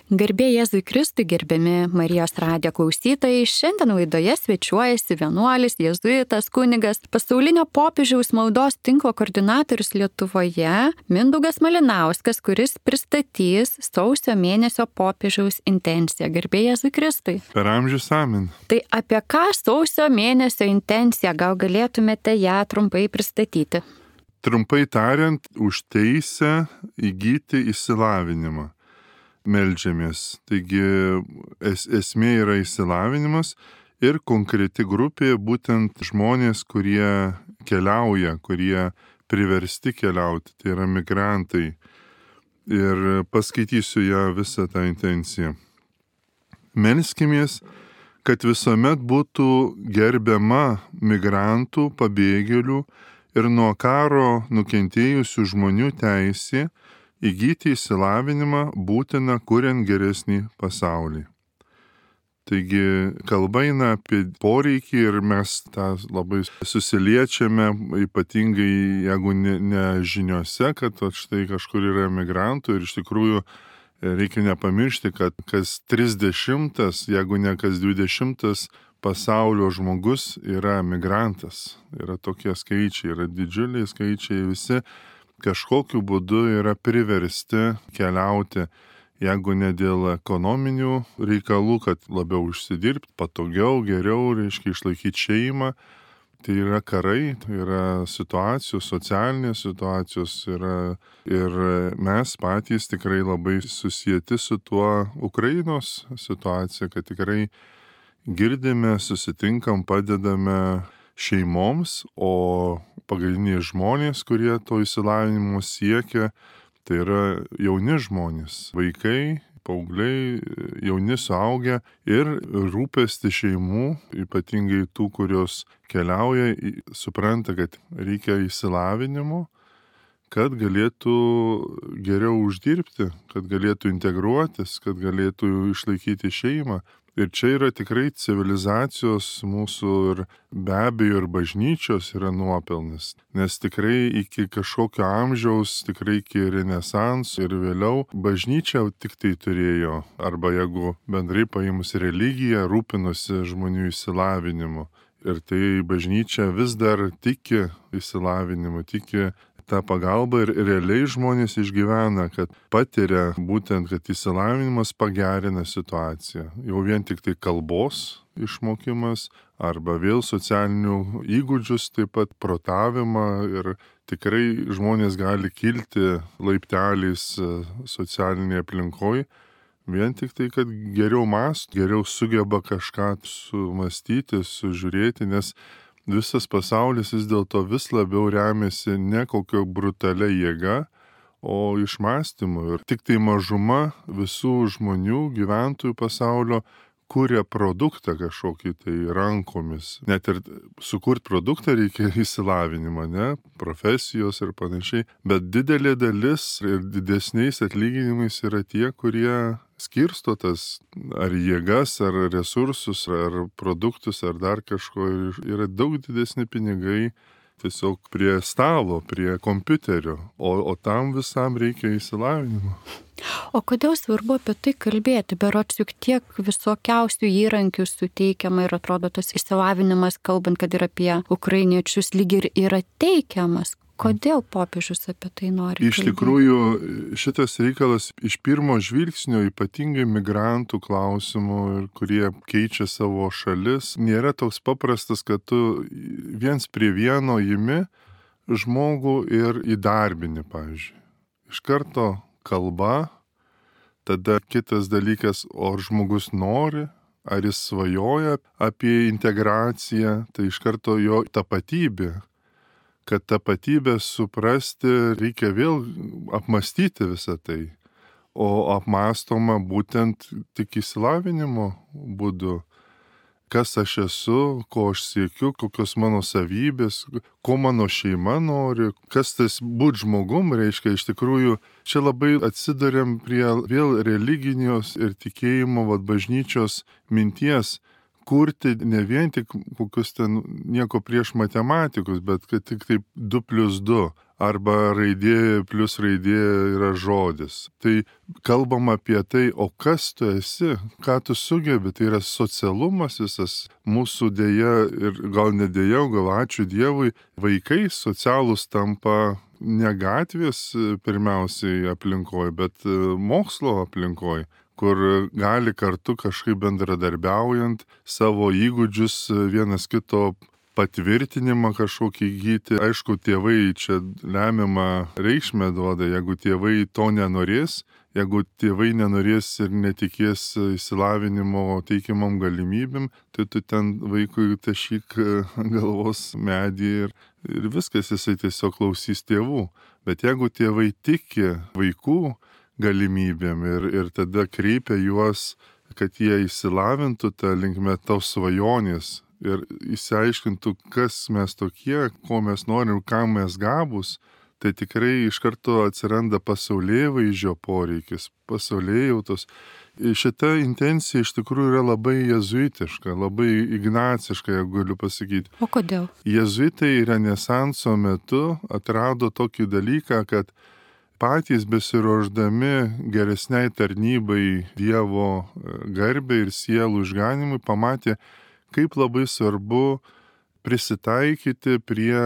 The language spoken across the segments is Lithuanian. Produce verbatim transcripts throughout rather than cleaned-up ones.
Garbė Jėzui Kristui, gerbiami Marijos radijo klausytojai, šiandien laidoje svečiuojasi vienuolis, jėzuitas, kunigas, pasaulinio popiežiaus maldos tinklo koordinatorius Lietuvoje, Mindaugas Malinauskas, kuris pristatys sausio mėnesio popiežiaus intenciją. Garbė Jėzui Kristui. Per amžius amen. Tai apie ką sausio mėnesio intencija, gal galėtumėte ją trumpai pristatyti? Trumpai tariant, už teisę įgyti išsilavinimą. Meldžiamės. Taigi es, esmė yra išsilavinimas ir konkreti grupė būtent žmonės, kurie keliauja, kurie priversti keliauti, tai yra migrantai. Ir paskaitysiu ją visą tą intenciją. Melskimės, kad visuomet būtų gerbiama migrantų, pabėgėlių ir nuo karo nukentėjusių žmonių teisė įgyti išsilavinimą būtina kuriant geresnį pasaulį. Taigi kalba eina apie poreikį ir mes tą labai susiliečiame, ypatingai jeigu ne, ne žiniuose, kad štai kažkur yra migrantų ir iš tikrųjų reikia nepamiršti, kad kas trisdešimtas, jeigu ne kas dvidešimtas pasaulio žmogus yra migrantas. Yra tokie skaičiai, yra didžiuliai skaičiai, visi kažkokiu būdu yra priversti keliauti, jeigu ne dėl ekonominių reikalų, kad labiau užsidirbti, patogiau, geriau, reiškia išlaikyti šeimą. Tai yra karai, tai yra situacijos, socialinės situacijos yra, ir mes patys tikrai labai susijęti su tuo Ukrainos situacija, kad tikrai girdime, susitinkam, padedame šeimoms, o pagrindiniai žmonės, kurie to išsilavinimo siekia, tai yra jauni žmonės, vaikai, paaugliai, jauni suaugę ir rūpesti šeimų, ypatingai tų, kurios keliauja, supranta, kad reikia išsilavinimo, kad galėtų geriau uždirbti, kad galėtų integruotis, kad galėtų išlaikyti šeimą. Ir čia yra tikrai civilizacijos mūsų ir be abejo ir bažnyčios yra nuopelnas. Nes tikrai iki kažkokio amžiaus, tikrai iki renesanso ir vėliau bažnyčia tik tai turėjo, arba jeigu bendrai paėmus religiją, rūpinosi žmonių išsilavinimu. Ir tai bažnyčia vis dar tiki išsilavinimu, tiki tą pagalbą ir realiai žmonės išgyvena, kad patiria būtent, kad išsilavinimas pagerina situaciją. Jau vien tik tai kalbos išmokimas arba vėl socialinių įgūdžius, taip pat protavimą ir tikrai žmonės gali kilti laipteliais socialinėje aplinkoje. Vien tik tai, kad geriau mąsto, geriau sugeba kažką sumastyti, sužiūrėti, nes visas pasaulis vis dėlto vis labiau remiasi ne kokio brutalia jėga, o išmąstymu. Ir tik tai mažuma visų žmonių, gyventojų pasaulio, kuria produktą kažkokį tai rankomis. Net ir sukurt produktą reikia išsilavinimą, ne? Profesijos ir panašiai. Bet didelė dalis ir didesniais atlyginimais yra tie, kurie skirsto tas ar jėgas, ar resursus, ar produktus, ar dar kažko. Yra daug didesni pinigai tiesiog prie stalo, prie kompiuterio, o, o tam visam reikia išsilavinimo. O kodėl svarbu apie tai kalbėti? Berods juk tiek visokiausių įrankių suteikiama ir atrodo tas išsilavinimas, kalbant, kad ir apie ukrainiečius, lyg ir yra teikiamas. Kodėl popiežius apie tai nori kalbėti? Iš tikrųjų, šitas reikalas iš pirmo žvilgsnio, ypatingai migrantų klausimų, kurie keičia savo šalis, nėra toks paprastas, kad tu viens prie vieno imi žmogų ir įdarbini, pavyzdžiui. Iš karto kalba, tada kitas dalykas, o ar žmogus nori, ar jis svajoja apie integraciją, tai iš karto jo tapatybė. Kad tapatybę suprasti, reikia vėl apmastyti visą tai. O apmastoma būtent tik išsilavinimo būdu. Kas aš esu, ko aš siekiu, kokios mano savybės, ko mano šeima nori, kas tas būt žmogum reiškia. Iš tikrųjų, čia labai atsidariam prie vėl religinios ir tikėjimo vat, bažnyčios minties, kurti ne vien tik kokius ten nieko prieš matematikus, bet kad tik taip du plius du arba raidė plus raidė yra žodis. Tai kalbam apie tai, o kas tu esi, ką tu sugebi, tai yra socialumas visas mūsų dėja ir gal ne dėja, gal ačiū Dievui, vaikai socialūs tampa ne gatvės pirmiausiai aplinkoje, bet mokslo aplinkoje, kur gali kartu kažkaip bendradarbiaujant savo įgūdžius vienas kito patvirtinimą kažkokį įgyti. Aišku, tėvai čia lemiamą reikšmę duoda, jeigu tėvai to nenorės, jeigu tėvai nenorės ir netikės išsilavinimo teikiamom galimybėm, tai tu ten vaikui tašyk galvos medį ir, ir viskas, jisai tiesiog klausys tėvų. Bet jeigu tėvai tiki vaikų galimybėm ir, ir tada kreipia juos, kad jie išsilavintų tą linkme tos svajonės, ir įsiaiškintų, kas mes tokie, ko mes norim, kam mes gabus, tai tikrai iš karto atsiranda pasaulėvaizdžio poreikis, pasaulėjautos. Šita intencija iš tikrųjų yra labai jezuitiška, labai ignaciška, jeigu galiu pasakyti. O kodėl? Jezuitai renesanso metu atrado tokį dalyką, kad patys besiruošdami geresniai tarnybai Dievo garbei ir sielų išganimui pamatė, kaip labai svarbu prisitaikyti prie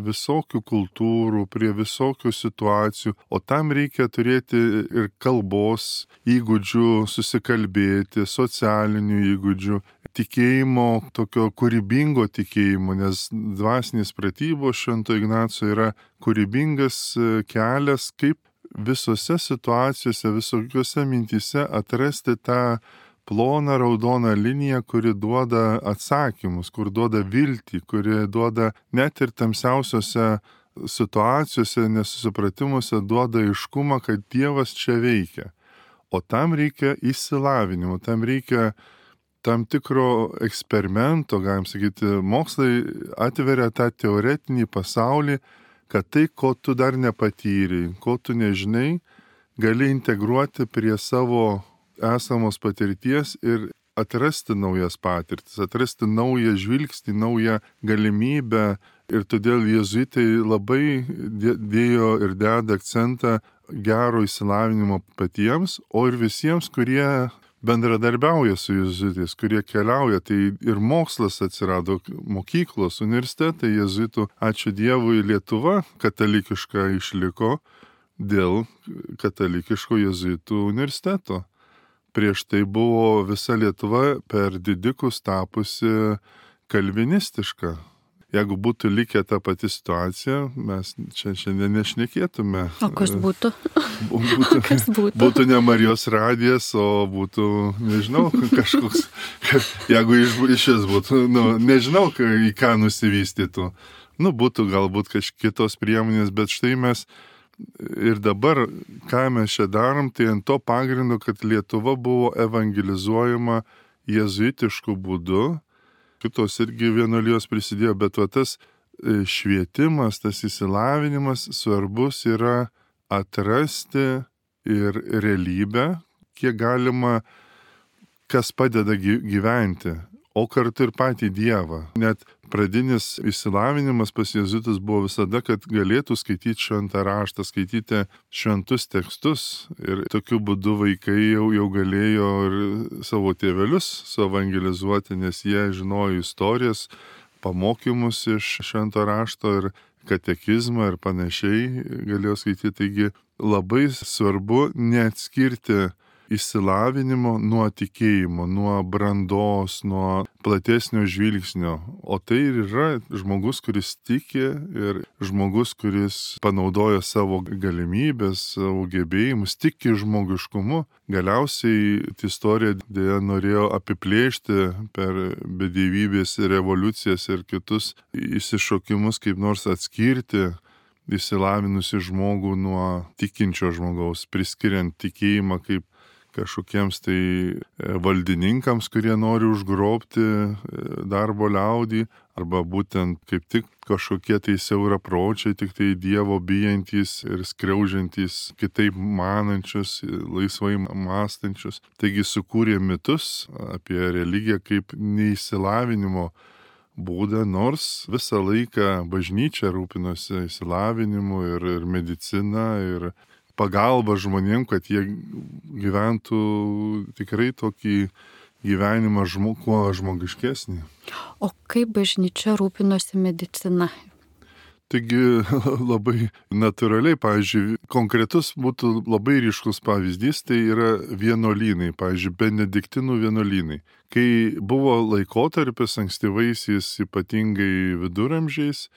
visokių kultūrų, prie visokių situacijų, o tam reikia turėti ir kalbos įgūdžių, susikalbėti, socialinių įgūdžių, tikėjimo, tokio kūrybingo tikėjimo, nes dvasinės pratybos Švento Ignaco yra kūrybingas kelias, kaip visose situacijose, visokiose mintyse atrasti tą ploną raudoną liniją, kuri duoda atsakymus, kur duoda viltį, kuri duoda net ir tamsiausiose situacijose, nesusipratimuose duoda aiškumą, kad Dievas čia veikia. O tam reikia išsilavinimo, tam reikia tam tikro eksperimento, galim sakyti, mokslai atveria tą teoretinį pasaulį, kad tai, ko tu dar nepatyri, ko tu nežinai, gali integruoti prie savo esamos patirties ir atrasti naujas patirtis, atrasti naują žvilgsnį, naują galimybę. Ir todėl jezuitai labai dėjo ir deda akcentą gero išsilavinimo patiems, o ir visiems, kurie bendradarbiauja su jezuitais, kurie keliauja. Tai ir mokslas atsirado, mokyklos, universitetai jezuitų. Ačiū Dievui, Lietuva katalikiška išliko dėl katalikiško jezuitų universiteto. Prieš tai buvo visa Lietuva per didikus tapusi kalvinistiška. Jeigu būtų likę ta pati situacija, mes čia šiandien nešnekėtume. O kas būtų? Būtų, kas būtų? Būtų ne Marijos radijas, o būtų, nežinau, kažkoks, jeigu iš, iš vis būtų, nu, nežinau, į ką nusivystytų. Nu, būtų galbūt kažkitos priemonės, bet štai mes ir dabar, ką mes čia darom, tai ant to pagrindo, kad Lietuva buvo evangelizuojama jezuitišku būdu, kitos irgi vienuolijos prisidėjo, bet va tas švietimas, tas įsilavinimas svarbus yra atrasti ir realybę, kiek galima, kas padeda gyventi, o kartu ir patį Dievą. Net pradinis išsilavinimas pas jezuitus buvo visada, kad galėtų skaityti šventą raštą, skaityti šventus tekstus. Ir tokiu būdu vaikai jau, jau galėjo ir savo tėvelius suevangelizuoti, nes jie žinojo istorijas, pamokymus iš švento rašto ir katekizmą ir panašiai galėjo skaityti. Taigi labai svarbu neatskirti išsilavinimo nuo tikėjimo, nuo brandos, nuo platesnio žvilgsnio. O tai ir yra žmogus, kuris tiki ir žmogus, kuris panaudoja savo galimybės, savo gebėjimus, tiki žmogiškumu. Galiausiai istorija dėja norėjo apiplėšti per bedievybės revoliucijas ir kitus išsišokimus, kaip nors atskirti išsilavinusi žmogų nuo tikinčio žmogaus, priskiriant tikėjimą kaip kažkokiems tai valdininkams, kurie nori užgrobti darbo liaudį, arba būtent kaip tik kažkokie tai siaurapročiai, tik tai Dievo bijantys ir skriaužiantys, kitaip manančius, laisvai mąstančius. Taigi sukūrė mitus apie religiją kaip neįsilavinimo būdą, nors visą laiką bažnyčia rūpinosi įsilavinimu ir, ir medicina ir pagalba žmonėm, kad jie gyventų tikrai tokį gyvenimą žmo, kuo žmogiškesnį. O kaip bažnyčia rūpinosi medicina? Taigi labai natūraliai, pavyzdžiui, konkretus būtų labai ryškus pavyzdys, tai yra vienuolynai, pavyzdžiui, benediktinų vienuolynai. Kai buvo laikotarpis ankstyvaisiais, ypatingai viduramžiais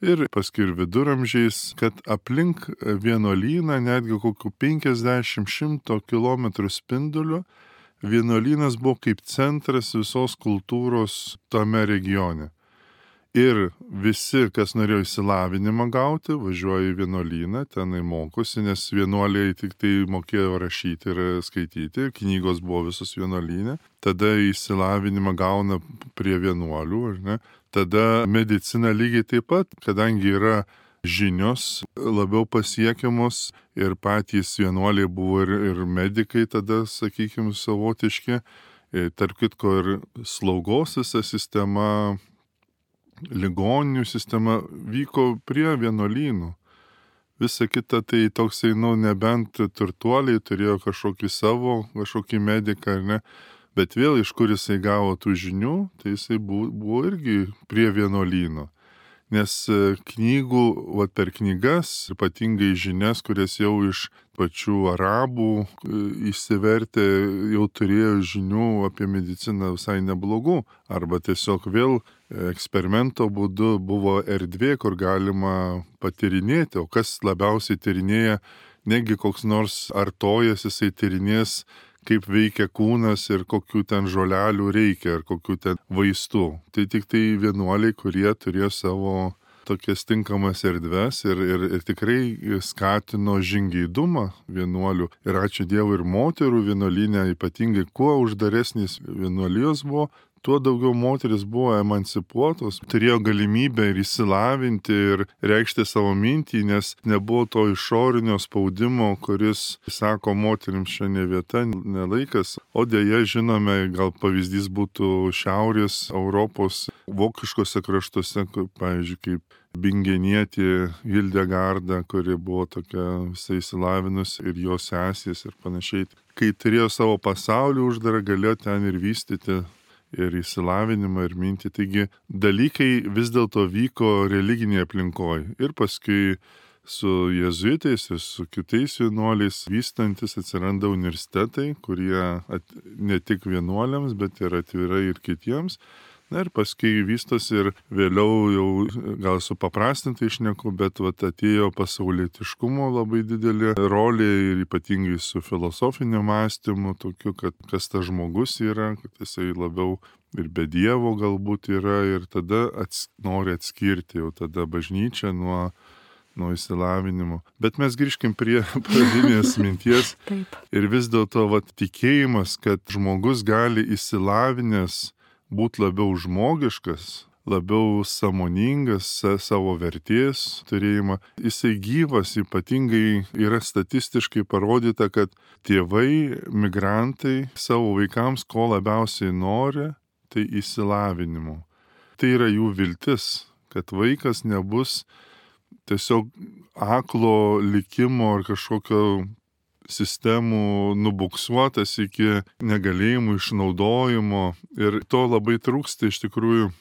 ir paskui ir viduramžiais, kad aplink vienuolyną netgi kokių penkiasdešimt šimto kilometrų spinduliu vienuolynas buvo kaip centras visos kultūros tame regione. Ir visi, kas norėjo įsilavinimą gauti, važiuoja į vienuolyną, tenai mokosi, nes vienuoliai tik tai mokėjo rašyti ir skaityti, knygos buvo visos vienuolyne. Tada įsilavinimą gauna prie vienuolių, ar ne? Tada medicina lygiai taip pat, kadangi yra žinios labiau pasiekiamos ir patys vienuoliai buvo ir, ir medikai tada, sakykime, savotiški. Tarp kitko ir slaugos visa sistema, ligoninių sistema vyko prie vienuolynų. Visa kita tai toksai, nu, nebent turtuoliai turėjo kažkokį savo, kažkokį mediką, ar ne, bet vėl iš kur jisai gavo tų žinių, tai jisai buvo, buvo irgi prie vienuolyno. Nes knygų, va per knygas, ypatingai žinias, kurias jau iš pačių arabų išsivertė, jau turėjo žinių apie mediciną visai neblogų. Arba tiesiog vėl eksperimento būdu buvo erdvė, kur galima patyrinėti. O kas labiausiai tyrinėja, negi koks nors artojas, jisai tyrinės, kaip veikia kūnas ir kokių ten žolelių reikia, ar kokių ten vaistų. Tai tik tai vienuoliai, kurie turėjo savo tokias tinkamas erdves ir, ir, ir tikrai skatino žingeidumą vienuolių. Ir ačiū Dievui, ir moterų vienuolyne, ypatingai kuo uždaresnis vienuolijos buvo, tuo daugiau moteris buvo emancipuotos, turėjo galimybę ir įsilavinti ir reikšti savo mintį, nes nebuvo to išorinio spaudimo, kuris sako, moterims čia ne vieta, ne laikas. O dėja, žinome, gal pavyzdys būtų Šiaurės Europos vokiškose kraštuose, pavyzdžiui, kaip Bingenietė Hildegarda, kuri buvo tokia visai įsilavinus, ir jos sesės ir panašiai. Kai turėjo savo pasaulį uždarą, galėjo ten ir vystyti ir įsilavinimą, ir mintį. Taigi dalykai vis dėlto vyko religinėje aplinkoje. Ir paskui su jėzuitais ir su kitais vienuoliais vystantis atsiranda universitetai, kurie at, ne tik vienuoliams, bet ir atvirai ir kitiems. Na ir paskui vystosi ir vėliau jau gal supaprastintai šneku, bet vat, atėjo pasaulietiškumo labai didelė rolė ir ypatingai su filosofinio mąstymu, tokiu, kad kas tas žmogus yra, kad jisai labiau ir be Dievo galbūt yra, ir tada ats, nori atskirti jau tada bažnyčią nuo, nuo įsilavinimo. Bet mes grįžkim prie pradinės minties. Taip. Ir vis dėlto vat, tikėjimas, kad žmogus gali įsilavinęs būti labiau žmogiškas, labiau sąmoningas savo vertės turėjimą. Jisai gyvas, ypatingai yra statistiškai parodyta, kad tėvai, migrantai savo vaikams ko labiausiai nori, tai įsilavinimo. Tai yra jų viltis, kad vaikas nebus tiesiog aklo likimo ar kažkokio sistemų nubuksuotas iki negalėjimų išnaudojimo, ir to labai trūksta iš tikrųjų.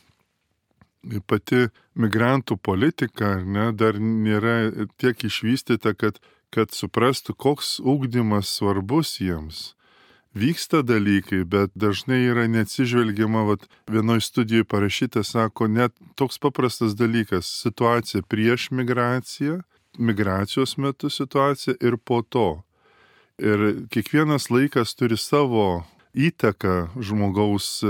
Pati migrantų politika, ne, dar nėra tiek išvystyta, kad, kad suprastų, koks ugdymas svarbus jiems. Vyksta dalykai, bet dažnai yra neatsižvelgiama, vat, vienoj studijoje parašyta, sako, net toks paprastas dalykas, situacija prieš migraciją, migracijos metu situacija ir po to. Ir kiekvienas laikas turi savo įtaką žmogaus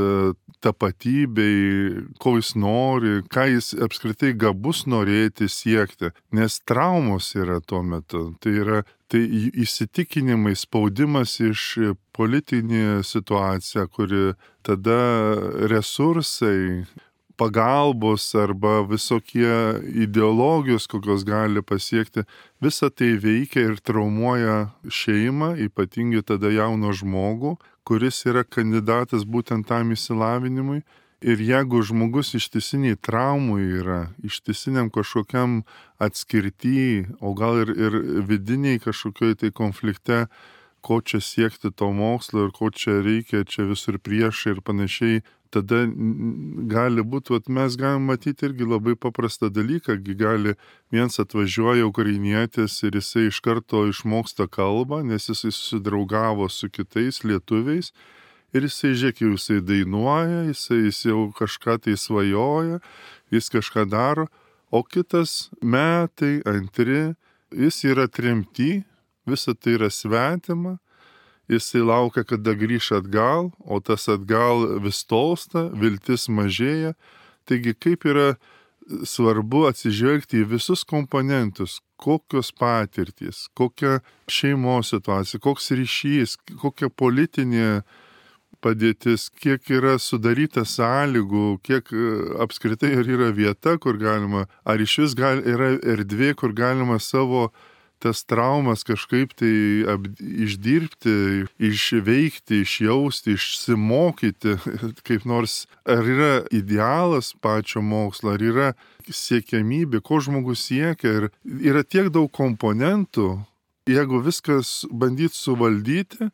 tapatybei, ko jis nori, ką jis apskritai gabus norėti siekti, nes traumos yra tuo metu. Tai yra tai įsitikinimai, spaudimas iš politinė situacija, kuri tada resursai, pagalbos arba visokie ideologijos, kokios gali pasiekti, visa tai veikia ir traumuoja šeimą, ypatingai tada jauno žmogų, kuris yra kandidatas būtent tam išsilavinimui. Ir jeigu žmogus ištisiniai traumų yra, ištisiniam kažkokiam atskirty, o gal ir, ir vidiniai kažkokioj tai konflikte, ko čia siekti to mokslo ir ko čia reikia, čia visur priešai ir panašiai, tada gali būti, vat, mes galim matyti irgi labai paprastą dalyką, gali viens atvažiuoja ukrainietis ir jisai iš karto išmoksta kalbą, nes jisai susidraugavo su kitais lietuviais ir jisai, žiūrėk, jau jisai dainuoja, jisai, jis jau kažką tai svajoja, jis kažką daro, o kitas metai, antri, jis yra tremty, visa tai yra svetima, jisai laukia, kada grįš atgal, o tas atgal vis tolsta, viltis mažėja. Taigi kaip yra svarbu atsižvelgti į visus komponentus, kokios patirtys, kokia šeimos situacija, koks ryšys, kokia politinė padėtis, kiek yra sudaryta sąlygų, kiek apskritai yra vieta, kur galima, ar iš vis gal, yra erdvė, kur galima savo tas traumas kažkaip tai ap, išdirbti, išveikti, išjausti, išsimokyti, kaip nors, ar yra idealas pačio mokslo, ar yra siekiamybė, ko žmogus siekia, ir yra tiek daug komponentų, jeigu viskas bandyti suvaldyti,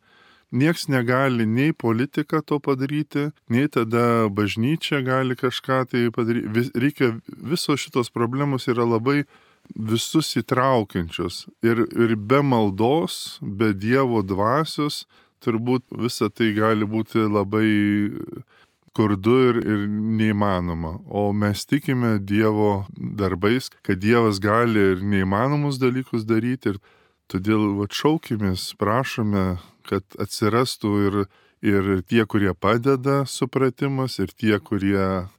nieks negali nei politika to padaryti, nei tada bažnyčia gali kažką tai padaryti. Vis, reikia, visos šitos problemos yra labai visus įtraukiančios. Ir, ir be maldos, be Dievo dvasios, turbūt visa tai gali būti labai skurdu ir, ir neįmanoma. O mes tikime Dievo darbais, kad Dievas gali ir neįmanomus dalykus daryti. Ir todėl atšaukimės, prašome, kad atsirastų ir, ir tie, kurie padeda supratimas, ir tie, kurie,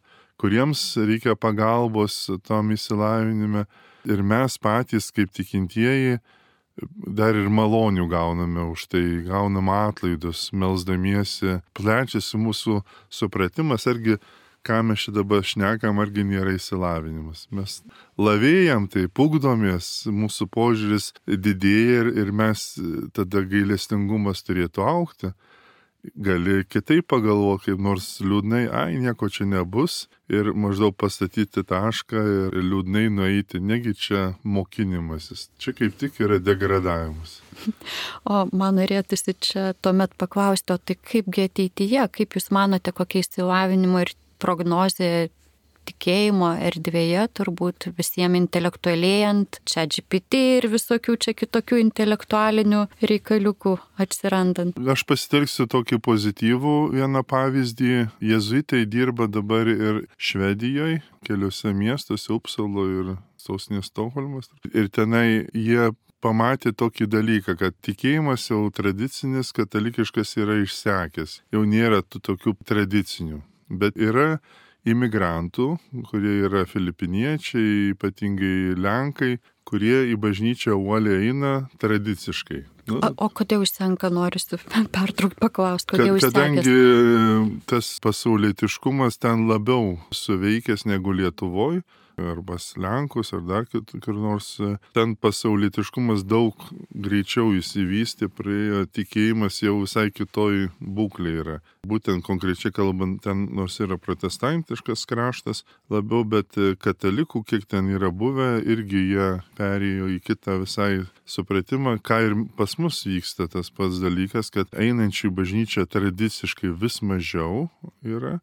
kuriems reikia pagalbos tam įsilavinime. Ir mes patys, kaip tikintieji, dar ir malonių gauname už tai, gauname atlaidus, melsdamiesi, plečiasi mūsų supratimas, argi ką mes čia dabar šnekam, argi nėra įsilavinimas. Mes lavėjam, tai pugdomės, mūsų požiūris didėja ir, ir mes tada gailestingumas turėtų aukti. Gali kitaip pagalvoti, kaip nors liūdnai, ai, nieko čia nebus, ir maždaug pastatyti tašką ir liūdnai nueiti, negi čia mokinimasis. Čia kaip tik yra degradavimas. O man norėtųsi čia tuomet paklausti, o tai kaipgi ateityje, kaip jūs manote, kokia išsilavinimo ir prognozė tikėjimo erdvėje, turbūt visiems intelektualėjant, čia G P T ir visokių čia kitokių intelektualinių reikaliukų atsirandant. Aš pasitelksiu tokį pozityvų vieną pavyzdį. Jėzuitai dirba dabar ir Švedijoje, keliuose miestuose, Upsalo ir sostinės Stokholmas. Ir tenai jie pamatė tokį dalyką, kad tikėjimas jau tradicinis, katalikiškas yra išsekęs. Jau nėra tų tokių tradicinių. Bet yra imigrantų, kurie yra filipiniečiai, ypatingai lenkai, kurie į bažnyčią uoliai eina tradiciškai. Nu, o, o kodėl užsenka, noriu pertraukt paklausti, kodėl užsenka? Kadangi tas pasaulietiškumas ten labiau suveikęs negu Lietuvoje, arba Lenkus, ar dar kur nors, ten pasaulietiškumas daug greičiau įsivystė, praėjo, tikėjimas jau visai kitoj būklė yra. Būtent konkrečiai kalbant, ten nors yra protestantiškas kraštas labiau, bet katalikų, kiek ten yra buvę, irgi jie perėjo į kitą visai supratimą, ką ir pas mus vyksta tas pats dalykas, kad einančių į bažnyčią tradiciškai vis mažiau yra,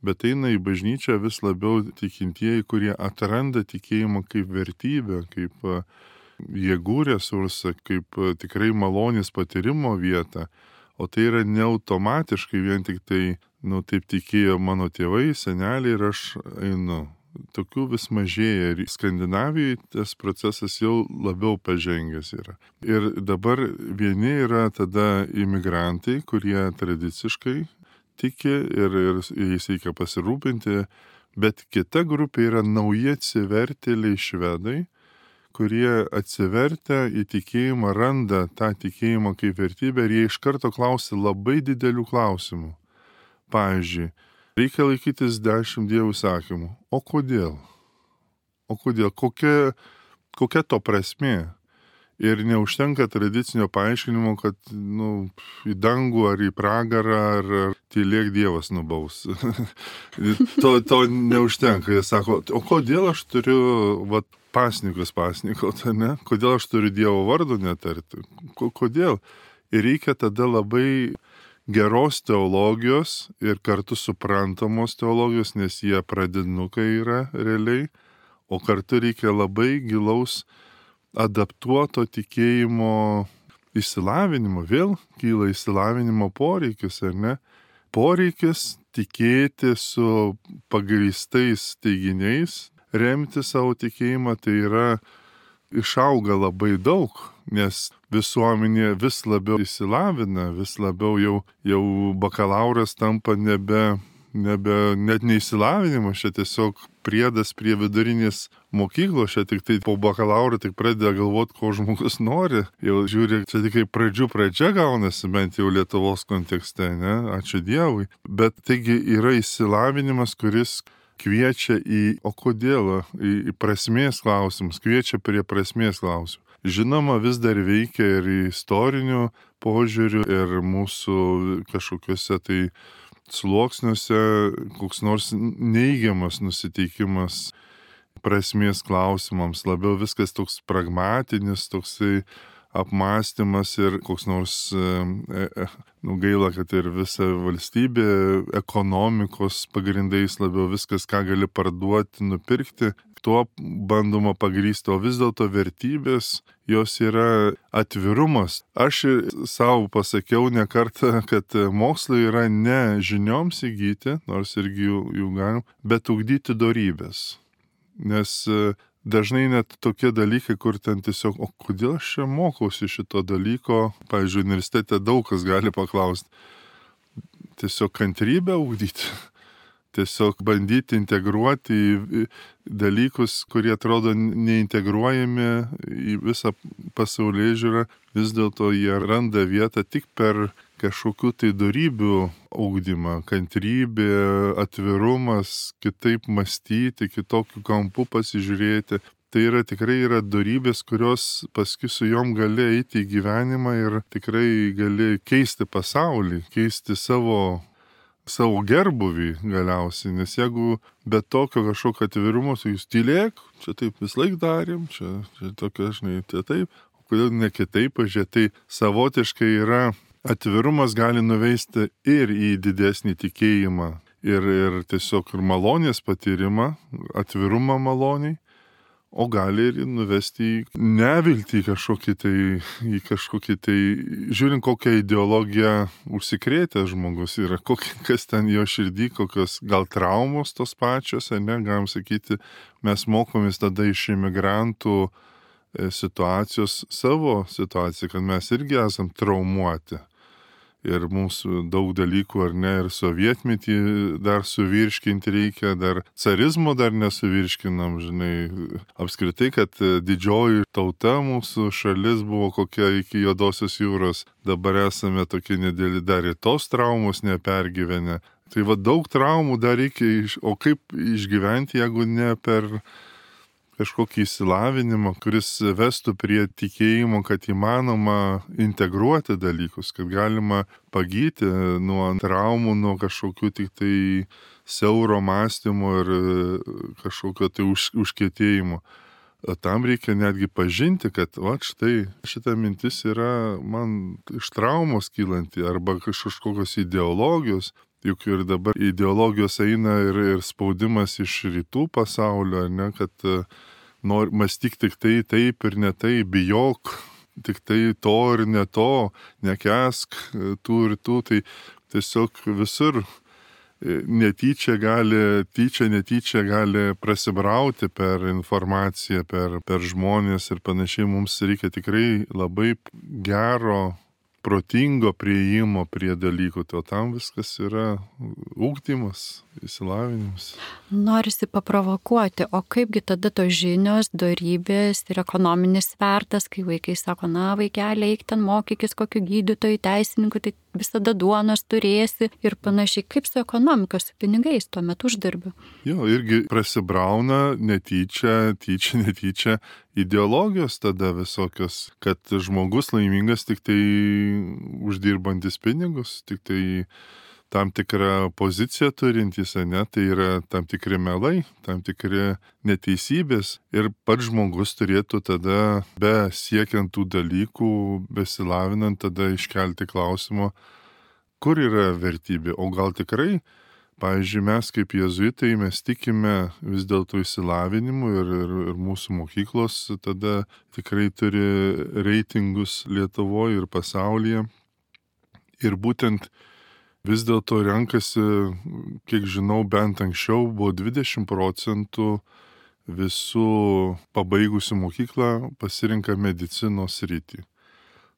bet eina į bažnyčią vis labiau tikintieji, kurie atranda tikėjimą kaip vertybę, kaip jėgų resursą, kaip tikrai malonės patyrimo vietą. O tai yra ne automatiškai vien tik tai, nu, taip tikėjo mano tėvai, seneliai ir aš einu. tokių vis mažėja ir Skandinavijoje tas procesas jau labiau pažengęs yra. Ir dabar vieni yra tada imigrantai, kurie tradiciškai tiki ir, ir jais reikia pasirūpinti, bet kita grupė yra nauji atsivertėliai švedai, kurie atsivertę į tikėjimą randa tą tikėjimą kaip vertybę ir jie iš karto klausia labai didelių klausimų. Pavyzdžiui, reikia laikytis dešimt dievų įsakymų. O kodėl? O kodėl? Kokia, kokia to prasmė? Ir neužtenka tradicinio paaiškinimo, kad nu, į dangų ar į pragarą ar, ar tylėk Dievas nubaus. to, to neužtenka. Jie sako, o kodėl aš turiu vat, pasnikus pasnikot, ne? Kodėl aš turiu Dievo vardo netarti? Kodėl? Ir reikia tada labai geros teologijos ir kartu suprantamos teologijos, nes jie pradinukai yra realiai, o kartu reikia labai gilaus adaptuoto tikėjimo išsilavinimo. Vėl kyla išsilavinimo poreikis, ar ne? Poreikis tikėti su pagrįstais teiginiais, remti savo tikėjimą, tai yra išauga labai daug, nes visuomenė vis labiau išsilavina, vis labiau jau, jau bakalauras tampa nebe, nebe net neišsilavinimas, čia tiesiog priedas prie vidurinės mokyklos, čia tik tai po bakalauro tik pradeda galvoti, ko žmogus nori. Jau žiūri, čia tik kaip pradžių pradžia gaunasi, bent jau Lietuvos kontekste, ne? Ačiū Dievui. Bet taigi yra išsilavinimas, kuris kviečia į, o kodėl, į, į prasmės klausimus, kviečia prie prasmės klausimų. Žinoma, vis dar veikia ir istorinių požiūrių, ir mūsų kažkokiuose tai sluoksniuose koks nors neigiamas nusiteikimas prasmės klausimams, labiau viskas toks pragmatinis, toksai apmąstymas ir koks nors, e, e, nu gaila, kad ir visa valstybė ekonomikos pagrindais labiau viskas, ką gali parduoti, nupirkti, tuo bandoma pagrįsti, o vis dėlto vertybės, jos yra atvirumas. Aš savo pasakiau ne kartą, kad mokslai yra ne žinioms įgyti, nors irgi jų, jų galim, bet ugdyti dorybės. Nes dažnai net tokie dalykai, kur ten tiesiog, o kodėl aš čia mokausi šito dalyko, pavyzdžiui, universitete daug kas gali paklausti, tiesiog kantrybę ugdyti. Tiesiog bandyti integruoti į dalykus, kurie atrodo neintegruojami į visą pasaulėžiūrą, vis dėlto jie randa vietą tik per kažkokių tai dorybių ugdymą, kantrybė, atvirumas, kitaip mąstyti, kitokių kampų pasižiūrėti. Tai yra tikrai yra dorybės, kurios paskui su jom gali eiti į gyvenimą ir tikrai gali keisti pasaulį, keisti savo savo gerbuvį galiausiai, nes jeigu be tokio kažkokio atvirumo, tai jūs tylėk, čia taip vis laik darėm, čia, čia tokia, žinai, tai taip, o kodėl ne kitaip, pažiūrėt, tai savotiškai yra atvirumas gali nuveisti ir į didesnį tikėjimą, ir, ir tiesiog ir malonės patyrimą, atvirumą maloniai, o gali ir nuvesti į neviltį kažkokį tai, į kažkokį tai, žiūrint, kokią ideologiją užsikrėtęs žmogus yra, kokie, kas ten jo širdį, kokios gal traumos tos pačios, ne, galim sakyti, mes mokomės tada iš imigrantų situacijos savo situaciją, kad mes irgi esam traumuoti. Ir mums daug dalykų, ar ne, ir sovietmetį dar suvirškinti reikia, dar carizmo dar nesuvirškinam, žinai, apskritai, kad didžioji tauta mūsų šalis buvo kokia iki Juodosios jūros, dabar esame tokie nedėli, dar ir tos traumos nepergyvenę. Tai va daug traumų dar reikia, o kaip išgyventi, jeigu ne per kažkokį įsilavinimą, kuris vestų prie tikėjimo, kad įmanoma integruoti dalykus, kad galima pagyti nuo traumų, nuo kažkokių tik tai siauro mąstymo ir kažkokio tai už, užkietėjimo. Tam reikia netgi pažinti, kad va štai šita mintis yra man iš traumos kylanti arba kažkokios ideologijos. Juk ir dabar ideologijos eina ir, ir spaudimas iš rytų pasaulio, ne, kad nor, mąstyk tik tai taip ir ne tai, bijok, tik tai to ir ne to, nekesk tų ir tų, tai tiesiog visur netyčia gali, tyčia, netyčia gali prasibrauti per informaciją, per, per žmonės ir panašiai. Mums reikia tikrai labai gero, protingo prieimo prie dalykų, o tam viskas yra ugdymas, išsilavinimas. Norisi paprovokuoti, o kaipgi tada tos žinios, dorybės ir ekonominis svertas, kai vaikai sako, na vaikeli, eik ten mokykis kokiu gydytoju, teisininku, tai visada duonos turėsi ir panašiai, kaip su ekonomikos, su pinigais tuo metu uždarbiu. Jo, irgi prasibrauna netyčia, tyčia, netyčia ideologijos tada visokios, kad žmogus laimingas tik tai uždirbantis pinigus, tik tai tam tikrą poziciją turintys, ne, tai yra tam tikri melai, tam tikri neteisybės ir pats žmogus turėtų tada, be siekiant tų dalykų, besilavinant, tada iškelti klausimą, kur yra vertybė, o gal tikrai, pavyzdžiui, mes kaip jėzuitai, mes tikime vis dėlto išsilavinimu ir, ir, ir mūsų mokyklos tada tikrai turi reitingus Lietuvoje ir pasaulyje. Ir būtent vis dėlto renkasi, kiek žinau, bent anksčiau buvo dvidešimt procentų visų pabaigusių mokyklą pasirinka medicinos sritį.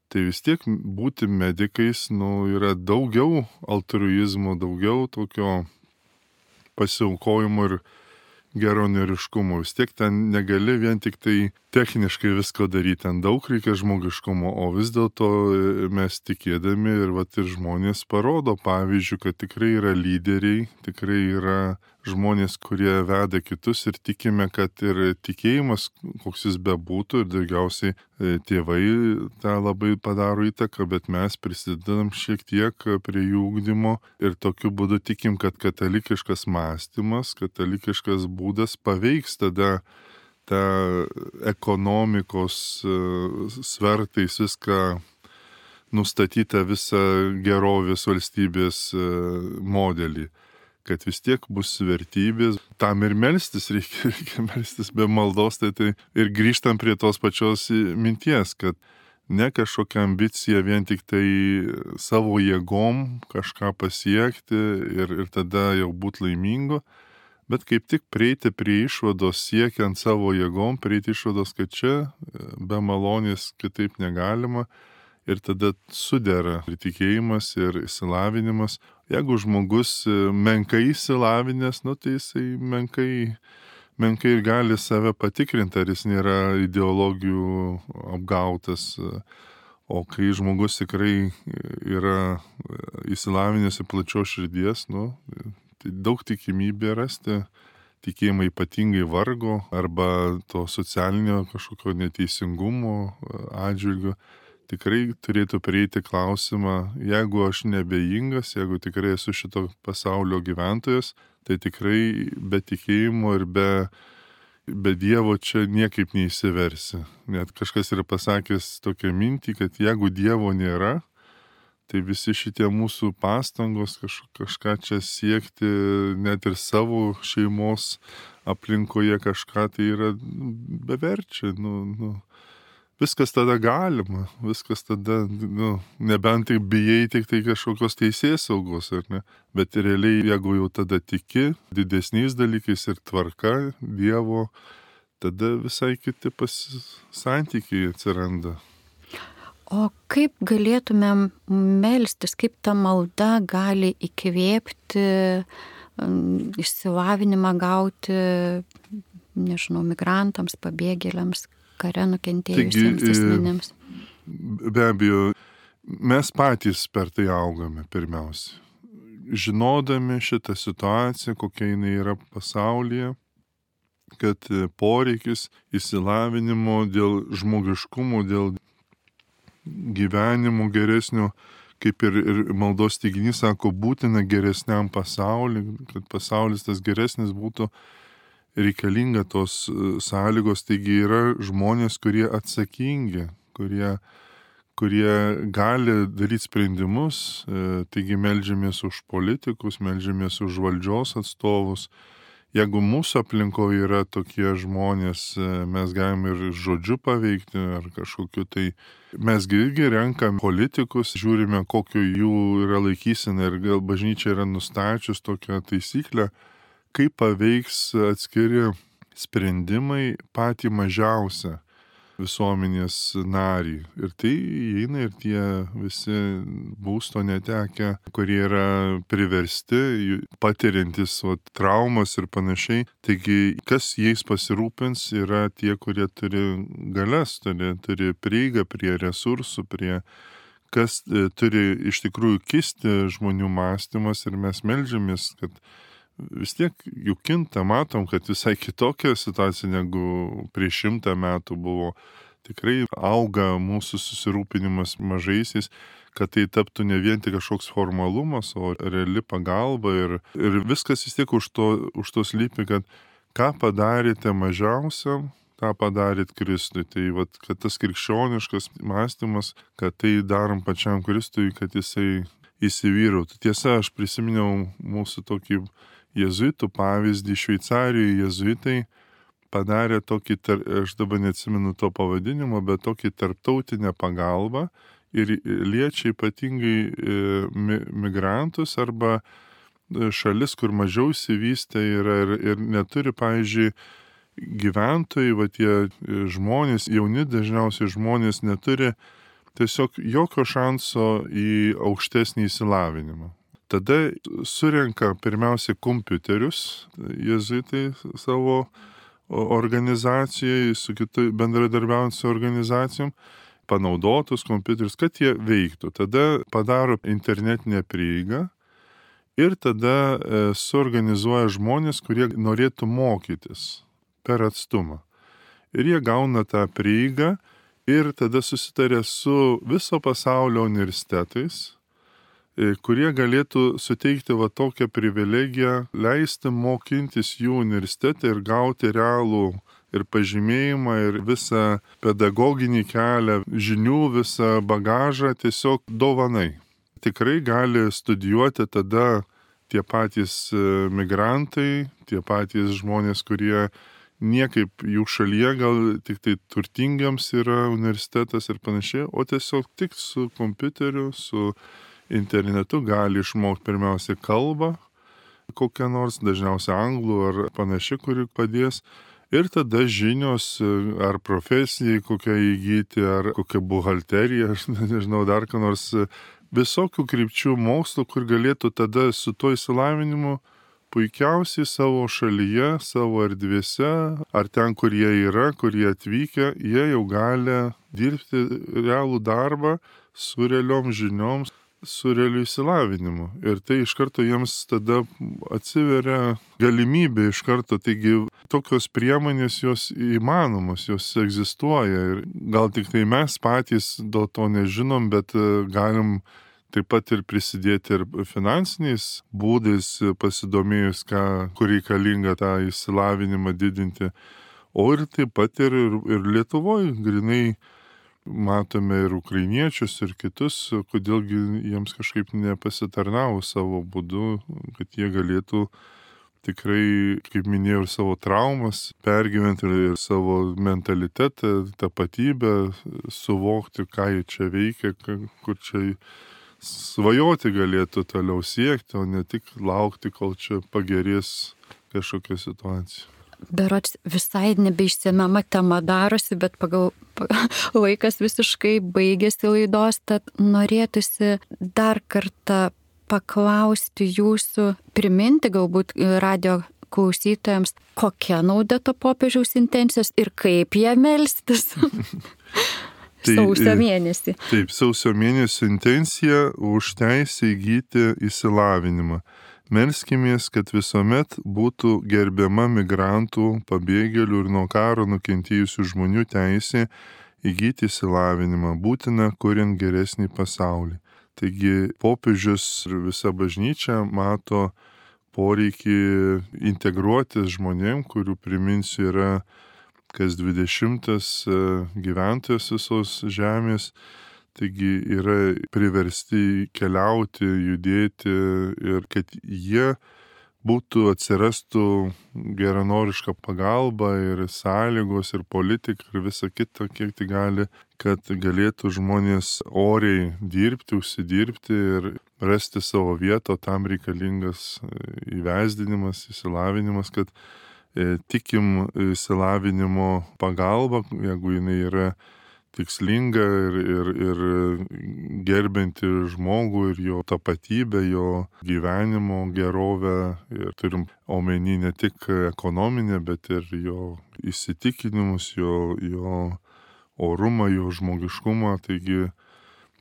Tai vis tiek būti medikais, nu, yra daugiau altruizmo, daugiau tokio pasiaukojimo ir geronoriškumo. Vis tiek ten negali vien tik tai techniškai visko daryti, ten daug reikia žmogiškumo, o vis dėlto mes tikėdami ir vat ir žmonės parodo pavyzdžių, kad tikrai yra lyderiai, tikrai yra žmonės, kurie veda kitus ir tikime, kad ir tikėjimas, koks jis bebūtų, ir daugiausiai tėvai tą labai padaro įtaką, bet mes prisidedam šiek tiek prie jų ugdymo ir tokiu būdu tikim, kad katalikiškas mąstymas, katalikiškas būdas paveiks tada tą ekonomikos svertais viską nustatytą visą gerovės valstybės modelį. Kad vis tiek bus vertybės, tam ir melstis reikia, reikia melstis be maldos, tai, tai ir grįžtam prie tos pačios minties, kad ne kažkokia ambicija vien tik tai savo jėgom kažką pasiekti ir, ir tada jau būti laimingu, bet kaip tik prieiti prie išvados siekiant savo jėgom, prieiti išvados, kad čia be malonės kitaip negalima. Ir tada sudera ir tikėjimas, ir išsilavinimas. Jeigu žmogus menkai išsilavinęs, nu, tai jisai menkai, menkai ir gali save patikrinti, ar jis nėra ideologijų apgautas. O kai žmogus tikrai yra išsilavinęs ir plačios širdies, nu, tai daug tikimybė rasti tikėjimą ypatingai vargo arba to socialinio kažkokio neteisingumo atžvilgiu. Tikrai turėtų prieiti klausimą, jeigu aš nebejingas, jeigu tikrai esu šito pasaulio gyventojas, tai tikrai be tikėjimo ir be, be Dievo čia niekaip neįsiversi. Net kažkas yra pasakęs tokią mintį, kad jeigu Dievo nėra, tai visi šitie mūsų pastangos kaž, kažką čia siekti, net ir savo šeimos aplinkoje kažką, tai yra beverčia, nu, nu. Viskas tada galima, viskas tada, nu, nebent tai bijai tik tai kažkokios teisės saugos, ar ne? Bet realiai, jeigu jau tada tiki didesniais dalykais ir tvarka Dievo, tada visai kiti santykiai atsiranda. O kaip galėtumėm melstis, kaip ta malda gali įkvėpti, išsilavinimą gauti, nežinau, migrantams, pabėgėliams, kare nukentėjusiems asmenims? Be abejo, mes patys per tai augame pirmiausia. Žinodami šitą situaciją, kokia jinai yra pasaulyje, kad poreikis išsilavinimo dėl žmogiškumo, dėl gyvenimo geresnio, kaip ir, ir maldos teiginys sako, būtina geresniam pasauliui, kad pasaulis tas geresnis būtų, reikalinga tos sąlygos, taigi yra žmonės, kurie atsakingi, kurie, kurie gali daryti sprendimus, taigi meldžiamės už politikus, meldžiamės už valdžios atstovus, jeigu mūsų aplinkoje yra tokie žmonės, mes galim ir žodžiu paveikti, ar kažkokiu tai. Mesgi irgi renkam politikus, žiūrime, kokio jų yra laikysena ir gal bažnyčia yra nustačius tokią taisyklę, kaip paveiks atskiri sprendimai patį mažiausią visuomenės narį. Ir tai įeina ir tie visi būsto netekę, kurie yra priversti, patiriantis vat, traumas ir panašiai. Taigi, kas jais pasirūpins, yra tie, kurie turi galias, turi, turi prieigą prie resursų, prie kas e, turi iš tikrųjų kisti žmonių mąstymas ir mes meldžiamės, kad vis tiek juk kinta, matom, kad visai kitokia situacija negu prieš šimtą metų buvo. Tikrai auga mūsų susirūpinimas mažaisiais, kad tai taptų ne vien tik kažkoks formalumas, o reali pagalba ir, ir viskas vis tiek už to, už to slypi, kad ką padarėte mažiausiam, tą padarėt Kristui. Tai vat, kad tas krikščioniškas mąstymas, kad tai darom pačiam Kristui, kad jisai įsivyrautų. Tiesa, aš prisiminiau mūsų tokį jėzuitų pavyzdį. Šveicarijoje jėzuitai padarė tokį, aš dabar neatsimenu to pavadinimo, bet tokį tarptautinę pagalbą ir liečia ypatingai migrantus arba šalis, kur mažiau įsivystę yra ir, ir neturi, pavyzdžiui, gyventojai, va tie žmonės, jauni dažniausiai žmonės neturi tiesiog jokio šanso į aukštesnį įsilavinimą. Tada surenka pirmiausia kompiuterius, jėzuitai savo organizacijai, su kitai bendradarbiaujant su organizacijom, panaudotus kompiuterius, kad jie veiktų. Tada padaro internetinę prieigą ir tada e, suorganizuoja žmonės, kurie norėtų mokytis per atstumą. Ir jie gauna tą prieigą ir tada susitarė su viso pasaulio universitetais, kurie galėtų suteikti va tokią privilegiją, leisti mokintis jų universitete ir gauti realų ir pažymėjimą, ir visą pedagoginį kelią, žinių, visą bagažą tiesiog dovanai. Tikrai gali studijuoti tada tie patys migrantai, tie patys žmonės, kurie niekaip jų šalyje gal tik tai turtingiams yra universitetas ir panašiai, o tiesiog tik su kompiuteriu, su internetu gali išmokti pirmiausia kalbą, kokią nors, dažniausiai anglų ar panaši, kuri padės. Ir tada žinios ar profesijai kokią įgyti, ar kokią buhalteriją, aš nežinau, dar ką nors, visokių krypčių mokslo, kur galėtų tada su tuo įsilavinimu puikiausiai savo šalyje, savo erdvėse, ar ten, kur jie yra, kur jie atvykę, jie jau gali dirbti realų darbą su realiom žinioms, su realiu įsilavinimu. Ir tai iš karto jiems tada atsiveria galimybė iš karto. Taigi tokios priemonės jos įmanomos, jos egzistuoja. Ir gal tik tai mes patys dėl to nežinom, bet galim taip pat ir prisidėti ir finansiniais būdais, pasidomėjus, ką, kur reikalinga tą įsilavinimą didinti. O ir taip pat ir, ir Lietuvoje grinai matome ir ukrainiečius, ir kitus, kodėlgi jiems kažkaip nepasitarnavo savo būdu, kad jie galėtų tikrai, kaip minėjau, ir savo traumas pergyventi ir savo mentalitetą, tapatybę, suvokti, ką jie čia veikia, kur čia svajoti galėtų toliau siekti, o ne tik laukti, kol čia pagerės kažkokia situacija. Berods visai nebeišsemiama tema darosi, bet pagal laikas visiškai baigėsi laidos, tad norėtųsi dar kartą paklausti jūsų, priminti galbūt radio klausytojams, kokia nauda to popiežiaus intencijos ir kaip ją melstis. Tai, sausio mėnesį. Taip, sausio mėnesio intencija už teisę įgyti įsilavinimą. Melskimės, kad visuomet būtų gerbiama migrantų, pabėgėlių ir nuo karo nukentėjusių žmonių teisė įgyti įsilavinimą, būtina kuriant geresnį pasaulį. Taigi popiežius ir visa bažnyčia mato poreikį integruotis žmonėm, kurių, priminsiu, yra kas dvidešimtas gyventojas visos žemės. Taigi yra priversti keliauti, judėti ir kad jie būtų, atsirastų geranoriška pagalba ir sąlygos ir politika ir visa kita, kiek tai gali, kad galėtų žmonės oriai dirbti, užsidirbti ir rasti savo vietą, tam reikalingas įvesdinimas, įsilavinimas, kad e, tikim įsilavinimo pagalba, jeigu jinai yra tikslinga ir, ir, ir gerbinti žmogų ir jo tapatybę, jo gyvenimo gerovę. Ir turim omeny ne tik ekonominę, bet ir jo įsitikinimus, jo, jo orumą, jo žmogiškumą. Taigi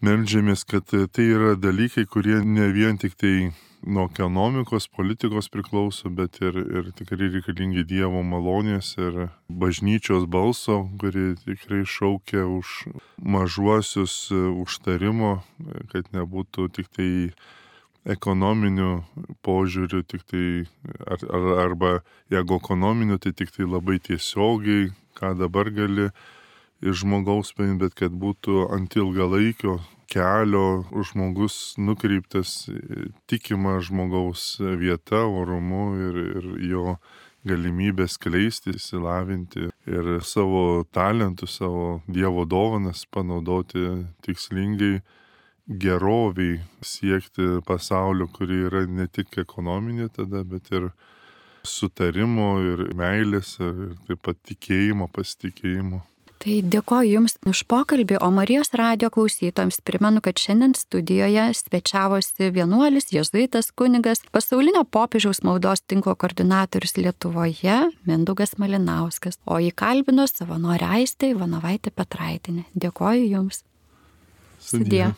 meldžiamės, kad tai yra dalykai, kurie ne vien tik tai nuo ekonomikos, politikos priklauso, bet ir, ir tikrai reikalingi Dievo malonės ir bažnyčios balso, kuri tikrai šaukia už mažuosius užtarimo, kad nebūtų tik tai ekonominių požiūrių, tik tai, ar, ar, arba jeigu ekonominių, tai tik tai labai tiesiogiai, ką dabar gali iš žmogaus paimti, bet kad būtų ant ilgalaikio kelio žmogus nukreiptas tikima žmogaus vieta, orumu ir, ir jo galimybės skleisti, įsilavinti ir savo talentus, savo Dievo dovanas panaudoti tikslingai geroviai, siekti pasaulio, kuri yra ne tik ekonominė tada, bet ir sutarimo ir meilės ir taip pat tikėjimo, pasitikėjimo. Tai dėkoju Jums už pokalbį, o Marijos radijo klausytojams primenu, kad šiandien studijoje svečiavosi vienuolis, jėzuitas kunigas, pasaulinio popiežiaus maldos tinklo koordinatorius Lietuvoje Mindaugas Malinauskas, o jį kalbino savanorė Aistė Ivanovaitė Petraitinė. Dėkoju Jums. Sudie.